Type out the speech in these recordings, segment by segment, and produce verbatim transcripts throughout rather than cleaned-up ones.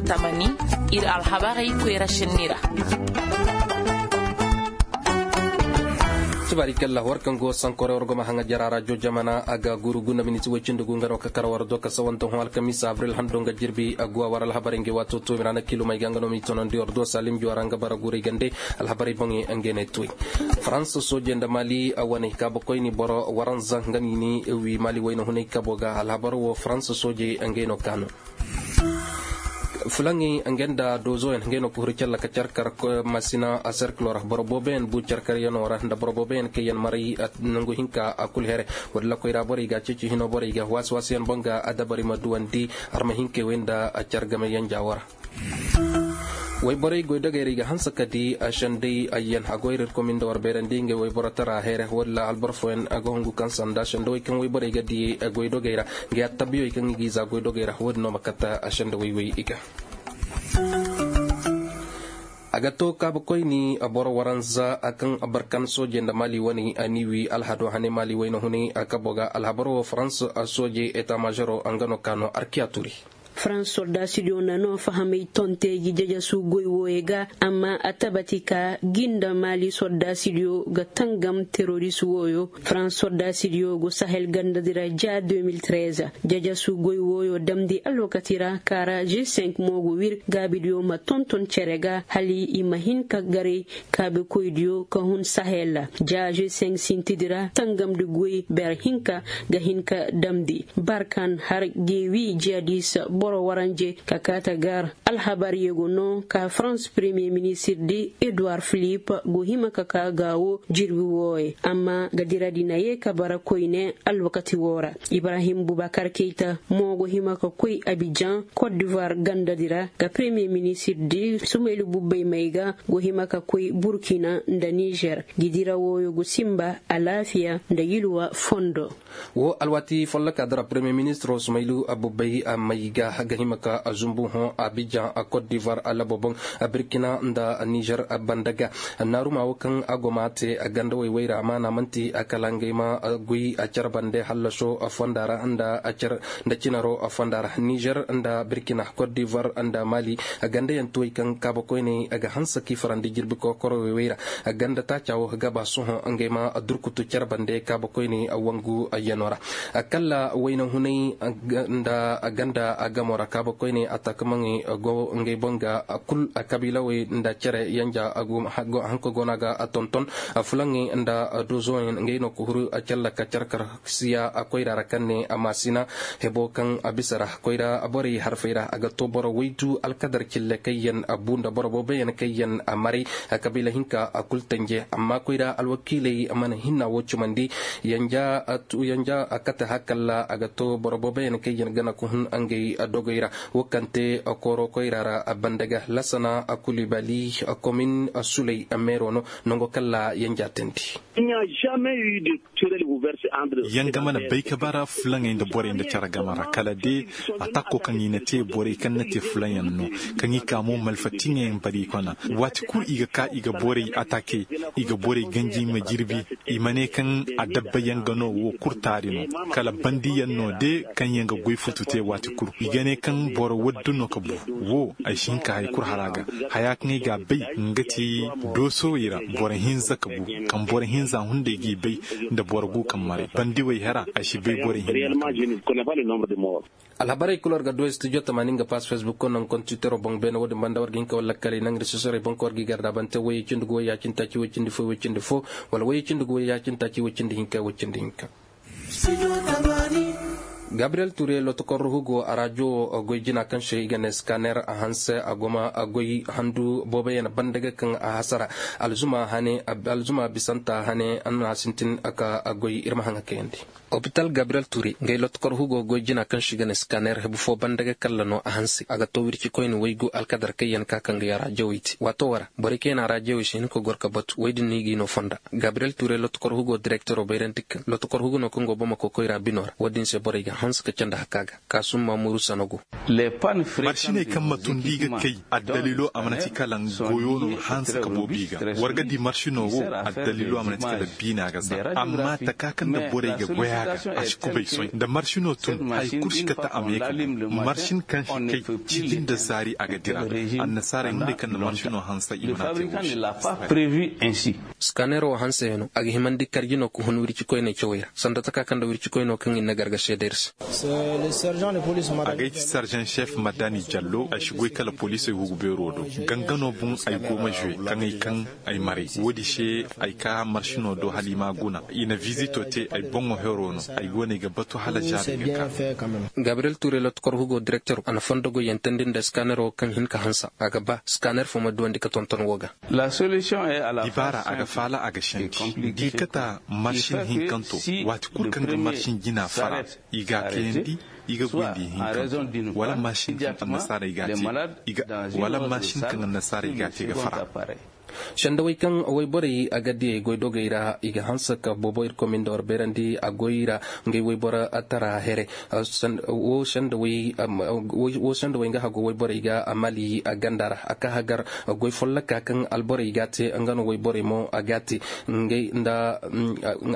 Tamani, ir alhabarey koyra šenni ra. Tibaari kalla war kaŋ go sankoray war go ma haŋa jara ra jojamana a ga guru gunda miniti way cindi gu nga no ka kar war do ka sawanta hõ alkamiisa abril hando nga jirbi a guwa war alhabarey nga waato to mirana kilomey ga nga no m'i tonandi war do salim juwa ra nga bara guray gande. Alhabarey boŋey ngey ne toy. Farans soojey nda mali wane kaabakoyni boro waranza nga no i ni wi mali wayna hunay kabo ga alhabar wo farans soojey ngey no kaanu. Fulaŋey nga nda doozoyaŋ ngey no ka huru calla ka carkar masina a serkilo ra boro booboyaŋ bu carkaryaŋo ra nda boro booboyaŋ kaŋ yaŋ maray nangu hinka a kulu here. Wala koyra borey ga ceeci hino borey ga waasi waasiyaŋ boŋ ga a dabari ma duwandi. Arma hinkey wey nda a car game yaŋ jaawo ra. Wayborey goydogey ra i ga hanse ka di a sendey ayyaŋ a goy ra ir komin nda war beerandi ngey wayboro tara heere wala alboro fooyaŋ a ga hungu kaŋ sanda sendawey kaŋ wayborey ga di goydogey ra. Nga ya tabbiyey kaŋ i g'i za goydogey ra wo-din no ma kate a sendawey wey i ga. A ga to kaabakoyni boro waranza kaŋ barkan soojey nda mali wane a n'i wi alhado hane mali wayna hunay a kabo ga alhabar wo farans soojey eta mažero nga no ka no arkiya turi. Farans sordaasidiyo na no fahamay tonte gi jajasu goy wooyo ga amma a tabati ka gi nda mali sordaasidiyo ga tangam teroris wooyo. Farans sordaasidiyo go sahel gandadi ra ja deux mille treize. Jajasu goy wooyo damndi alwakati ra ka ra g cinq mo go wir gaabidiyo ma tonton cere ga hala i ma hin ka garay. Kaabekoydiyo ka hun sahel ra ja g cinq sintidi ra tangamndi goy ber hinka ga hin ka damndi barkan har ga i wi jiyadis boro waranje ka kaata gar. Alhabar yego no ka farans premiyer ministirdi eduward filipe go hima ka ka gaawo jirbi wooye amma ga diradi na ye ka bara koyne. Alwakati woo ra ibrahim bubakar keyta mo go hima ka koy abijan kot divuwar gandadi ra ga premiyer ministirdi sumaylu bubbay may ga go hima ka koy burkina nda nizer. Gi dira wooyo go sinba alaafiya nda yilwa fondo. Wo alwaati folloka dara premiyer ministiro sumaylu abubbay may ga ga hima ka zumbu hõ abijan kot divuwar labo boŋ birkina nda nizer banda ga. Naaruma wo kaŋ a go ma te gandawey wayra amaana man'ti kala ngey ma goy car bande hallaso fonda ra nda cinaro fonda ra nizer nda birkina kot divuwar nda mali. Gandayaŋ tuwey kaŋ kaabakoyney ga hanse k'i farandi jirbi kokorowey wayra. Ganda taaca wo ga ba sohõ ngey ma durkutu car bande kaabakoyney wangu yano ra. Kalla wayna hunay nda ganda gamo ra kaabakoyney ataakamaŋey go ngey boŋ ga kul kabiilawey nda cere yanja hanka go no a ga tonton. Fulaŋey nda dozoyaŋ ngey no ka huru calla ka carkar siya koyra ra kaŋ ne a maasina hebo kaŋ a bisa ra koyra borey harfey ra a ga to boro waydu alkadar cille kaŋ yaŋ a bu nda boro booboyaŋ kaŋ yaŋ a maray. Kabiila hinka a kul tanje amma koyra alwakiiley mana hinna wo cumandi. Yanja a kate hakalla a ga to boro booboyaŋ kaŋ yaŋ gana ka hun ngey dogoy ra. Wo kaŋ te kooro koyra ra banda ga lasana kulibali komin suley meero no. Nango kalla yanja tandi. Yaŋ ga mana bay ka bara fulaŋey nda borey nda care game ra kala de. Ataako kaŋ i na te borey kaŋ na te fulaŋyaŋ no kaŋ i ka mo malfatiŋey bari kona. Waati kul i ga ka i ga borey ataake i ga borey ganji ma jirbi. I ma ne kaŋ adabba yaŋ ga no wo kul taari no. Kala bandiyaŋ no de kaŋ yaŋ ga goy futu te waati kul i ga ne kaŋ boro waddu no ka bu. Wo ay si hin ka hari kul hara ga haya kaŋ ay ga a bay nga ti doosowey ra boro hinza ka bu. Kaŋ boro hinza hunday g'i bay nda boro gu kaŋ maray bandiwey hera ay si bay borey hinza. Alhabarey kul war ga du studio tamaani nga pass facebook ko naŋ kontiwitero boŋ beene wo-din banda war ga hin ka war lakkaley naŋ risesorey boŋ ka war g'i garda bante woyey cindi gu woyey ya cindi taaci woy cindi fo woy cindi fo wala woyey cindi gu woyey ya cindi taaci woy cindi hinka woy cindi hinka. Gabriyel ture lotokor ruhu go a rajo goy jina kaŋ se i ga ne skaner a hanse a goma goy handu booboyaŋ banda ga kaŋ a hasara. Alzuma hane alzuma bisanta hane an na sintin a ka goy ir ma haŋa kayandi. Opital gabriyel ture ngay lotokor hugo goy jina kaŋ se i ga ne skaner hebu fo banda ga kalla no a hanse a ga to wirci koyne waygu alkadar kaŋ yaŋ ka kaŋ ga ya rajawey te waato wara borey kaŋ yaŋ a rajawey se hin ka gor ka batu woy din no i g'i no fonda. Gabriyel ture lotokor hugo direktero bayrandi kaŋ lotokor hugo no kaŋ go bamako koyra bino ra wo- din se borey ga Hanse ka candi hakka ga kaasum maamuru sanago. Marsiney kaŋ ma tundi i ga kay addaliilo a mana ti kala goyo no hanse ka boobi ga. War ga di marsino wo addaliilo a mana ti kala biina ga za amma taka kaŋ nda borey ga goy a ga a si kubay soy nda marsino tun hari kulu si kate a ma ye ka goy. Marsin kaŋ si kay cindi nda zaari a ga dira. Annasaarey hunday kaŋ nda marsino hanse i mana te wo se. Skaneero wo hanse yaŋ no a ga himandi karji no ka hun wircikoyney cawey ra sanda taka kaŋ nda wircikoynoo kaŋ i na garga seedey ra se. Agay ti sarjan cef madani jallo ay si goy kala poliisey hugu beero do. Gangano boŋ ay go ma zuwe kaŋ ay kaŋ ay maray. Woodi se ay ka marsino do hala i ma guna i na vizito te ay boŋo hero no. Ay go no ay ga batu hala jaari ga ka. Gabriyel ture lotkor hugo direktero a na fondo goyyaŋ teendi nda skanero kaŋ hin ka hansa a ga ba skaner fo ma duwandi ka tonton wo ga. Dibaara a ga faala a ga sandi. Di kata marsin hinkanto waati kulu kaŋ ga marsin jina fara i ga a kayandi. I ga goyndi hinkanto wala marsin kaŋ annasaara i ga a te ga fara. Sendawey kaŋ wayborey a ga diyey goydogey ra i ga hanse ka boobo irkoy ma nda war beerandi a goy ra. Ngey wayboro tara here wo sendawey nga hago wayborey ga mali a ganda ra a ka hagar goy folloka kaŋ alborey ga a te nga no wayborey mo a ga a te. Ngey nda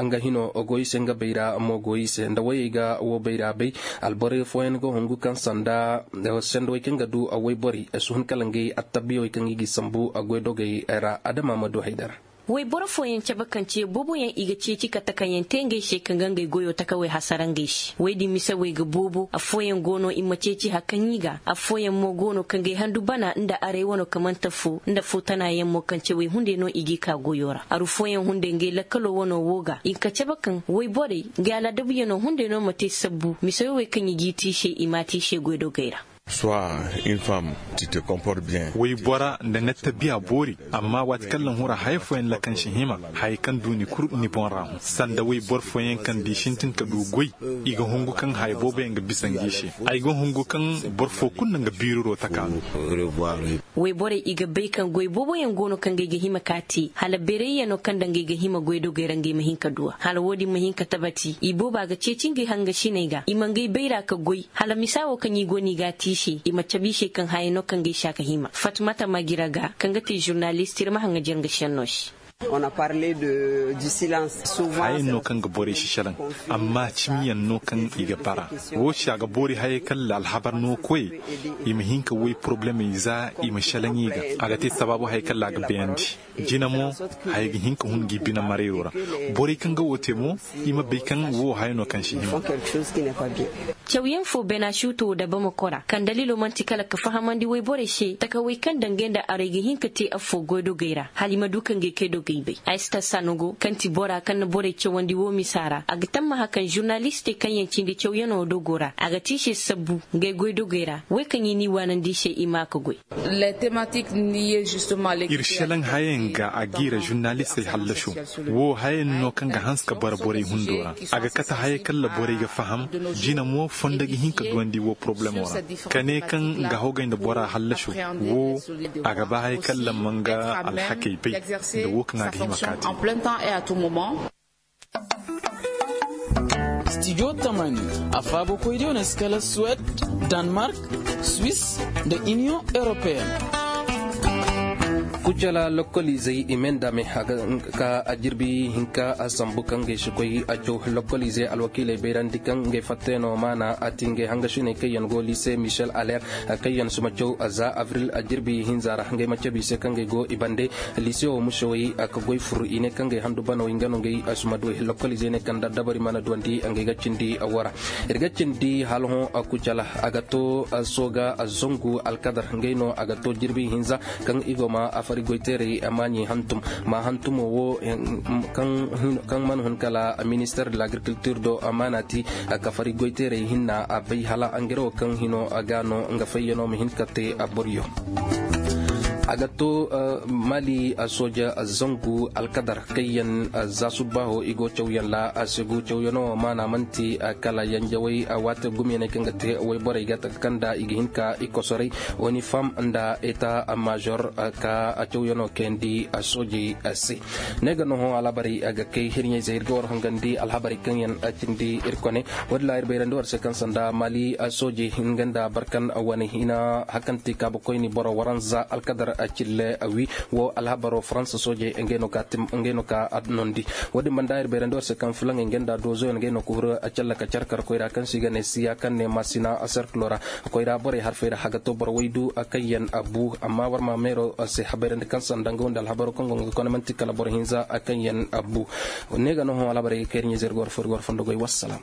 nga hino goy se nga bayra mo goy se nda wayey ga wo bayra bay. Alborey fooyaŋ ga hungu kaŋ sanda sendawey kaŋ ga du wayborey si hun kala ngey attabiyawey kaŋ i ga i sambu goydogey ra adama ma du haydara. Wayboro fooyaŋ cabe kaŋ ce booboyaŋ i ga ceeci ka takayaŋ te ngey se kaŋ ga ngey goyo takawey hasara ngey se woy din mise wey ga boobo affooyaŋ go no i ma ceeci hari kaŋ i ga affooyaŋ mo go no kaŋ ga ay handu bana nda aray wano kamante fo nda fo tanayaŋ mo kaŋ ce wey hunday no i g'i ka goyo ra aru fooyaŋ hunday ngey lakkalo wano wo ga i ka cabe kaŋ wayborey ngey alaadabuyaŋo hunday no ma te sabbu mise wey wey kaŋ i g'i te i se i m'a te i se goydogey ra. Soit une femme, tu te comportes bien. Waybora nda ni attabiya boori. Amma waati kaŋ laŋ hura haya fooyaŋ lakansi hima haya kaŋ du ni kul ni boŋ ra hõ sanda wayboro fooyaŋ kaŋ da i sintin ka du goy. I ga hungu kaŋ haya booboyaŋ ga bisa ngi se. Ay ga hungu kaŋ boro fo kulu na nga biiriro taka no. Wayborey i ga bay kaŋ goy booboyaŋ go no kaŋ ga ay ga hima ka te hala beerayyaŋo kaŋ daŋ ga ay ga hima goydogey ra nga ay ma hin ka du a hala wo-din ma hin ka tabati i booba ga ceeci ngey hangasiney ga i ma ngey bayra ka goy. Hala misa wo kaŋ i go no i ga a te i se i ma cabe i se kaŋ haya no kaŋ ga ay se a ga hima fatmata magira ga kaŋ ga te žurnalist ir ma haŋajer nga senno se. Hayaŋ no kaŋ ga borey si selaŋ amma cimiyaŋ no kaŋ i ga bara. Wo se a ga boori hayey kaŋ la alhabar no koyey i ma hin ka woy porobulemey za i ma selaŋ i ga. A ga te sabaabu hayey kaŋ la a ga bayandi. Jina mo haya ga hin ka hun ngi bine marayoo ra. Borey kaŋ ga woo te mo i ma bay kaŋ woo haya no kaŋ si hima. Cawyaŋ foo bena suutoo dabamako ra kaŋ daliiloo man'ti kala ka fahamandi woyborey se takawey kaŋ daŋ ngey nda aray ga hin ka te affoo goydogey ra hala i ma du ka ngey kaydogey bay. Ay si tassa no go kaŋ ti bora kaŋ na borey cawandi woo misa ra a ga tammaha kaŋ žurnalistey kaŋyaŋ cindi cawyanoo dogoo ra a ga te i se sabbu ngey goydogey ra wey kaŋ i n'i waanandi i se i maa ka goy. Ir selaŋ hayaŋ ga a giira žurnalistey hallasoo. Woo hayaŋ no kaŋ ga hanse ka bara borey hundoo ra. A ga kate hayey kaŋ ra borey ga faham. Jina mo fondo ga hin ka duwandi woo porobulemoo ra. Ka ne kaŋ nga hogay nda bora hallasoo. Woo a ga ba hayey kaŋ ra ma nga alhakey bay nda woo kaŋ a ga hima ka te. Stijo tamani a faabakoydiyo na si kala suwed, danmark, swis, nda iniyoŋ europeyen. Kucala lokkoliizey i mendame ka a jirbi hinka a sambu kaŋ gay si koy a caw lokkoliizey alwakiiley bayrandi kaŋ gay fatteno maana a ti ngey hangasiney kaŋ yaŋ go liise michel aler. Kaŋ yaŋ si ma caw za avril a jirbi hinza ra ngey ma cabe i se kaŋ gay go i bande. Liise wo musewey ka goy fur i ne kaŋ gay handu banaw nga no ngey si ma du lokkoliizey ne kaŋ da dabari mana duwandi ngey ga cindi wara. Ir ga cindi hala hõ kucala a ga to sooga zangu alkadar ngey no a ga to jirbi hinza. Kaŋ i go ma a fari goyteeray maaɲi hantum ma hantumo wo kaŋ mana hun kala minister de l'agriculture do maana ti. Ka fari goyteeray hinna a bay hala ngey wo kaŋ hino ga no nga fayyano ma hin ka te a boryo. A ga to mali sooja zangu alkadar kaŋ yaŋ za subbaaho i go cawyaŋ ra a se go cawyaŋo maana man'ti kala yanjawey waate gumiyaŋey kaŋ ga te wayborey ga taka kaŋ nda i ga hin ka i kosoray, unifam nda eta maazor ka cawyaŋo kayandi soojey se. Ne ga no hõ alhabarey ga kay hirɲey zey ir ga war hangandi alhabarey kaŋ yaŋ cindi ir kone. Wo- din ra ir bayrandi war se kaŋ sanda mali soojey hinga nda barkan wane hina hakanti kaabakoyni boro waranza alkadar cille wi. Wo alhabaro faransa soojey ngey no ka adnondi. Wo- din banda ir bayrandi war se kaŋ fulaŋey ngey nda doozoyaŋ ngey no ka huru calla ka carkar koyra kaŋ se i ga ne siya kaŋ ne masina serkilo ra. Koyra borey harfey ra haga to boro waydu kaŋ yaŋ bu amma war ma meero se habayrandi kaŋ sanda nga wanda alhabaro kaŋ go nga kone man'ti kala boro hinza kaŋ yaŋ bu. Ne ga no hõ alhabarey ga kay ir ɲizer ga war fo ir ga war fondo goy wassalam.